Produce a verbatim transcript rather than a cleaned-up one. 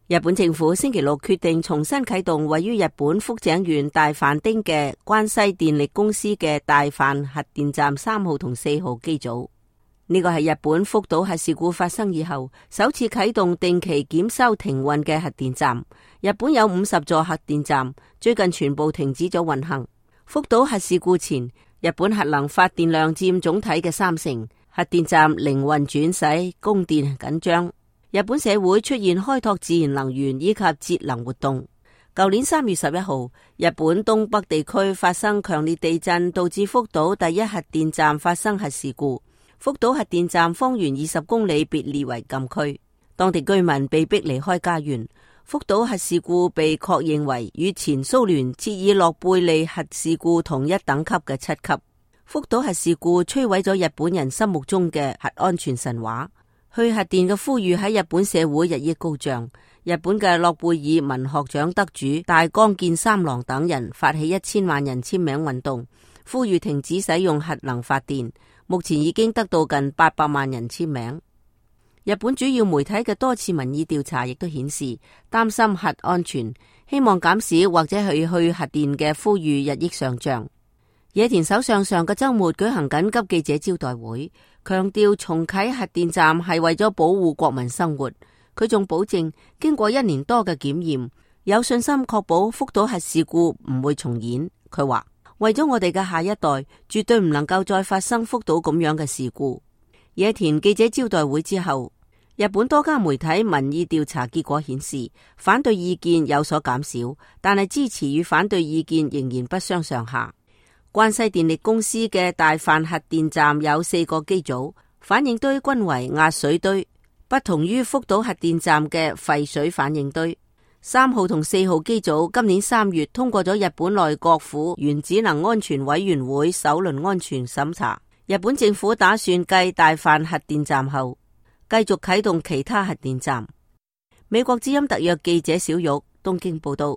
日本政府星期六決定重新啟動位於日本福井縣大飯町嘅關西電力公司嘅大飯核電站三號同四號機組。呢個係日本福島核事故發生以後首次啟動定期檢修停運嘅核電站。日本有五十座核電站，最近全部停止咗運行。福島核事故前，日本核能發電量佔總體嘅三成，核電站零運轉使供電緊張。日本社會出現開拓自然能源以及節能活動。舊年三月十一號，日本東北地區發生強烈地震，導致福島第一核電站發生核事故。福島核電站方圓二十公里被列為禁區，當地居民被逼離開家園。福島核事故被確認為與前蘇聯切爾諾貝利核事故同一等級嘅七級。福島核事故摧毀咗日本人心目中嘅核安全神話。去核電嘅呼籲喺日本社會日益高漲。日本嘅諾貝爾文學獎得主大江健三郎等人發起一千萬人簽名運動，呼籲停止使用核能發電。目前已經得到近八百萬人簽名。日本主要媒體嘅多次民意調查亦都顯示，擔心核安全，希望減少或者係去核電嘅呼籲日益上漲。野田首相上個週末舉行緊急記者招待會，強調重啟核電站係為咗保護國民生活。佢仲保證，經過一年多嘅檢驗，有信心確保福島核事故唔會重演。佢話：為咗我哋嘅下一代，絕對唔能夠再發生福島咁樣嘅事故。野田記者招待會之後，日本多家媒體民意調查結果顯示，反對意見有所減少，但係支持與反對意見仍然不相上下。關西電力公司嘅大飯核電站有四個機組，反應堆均為壓水堆，不同於福島核電站嘅沸水反應堆。三號同四號機組今年三月通過咗日本內閣府原子能安全委員會首輪安全審查。日本政府打算繼大飯核電站後，繼續啟動其他核電站。美國之音特約記者小玉東京報道。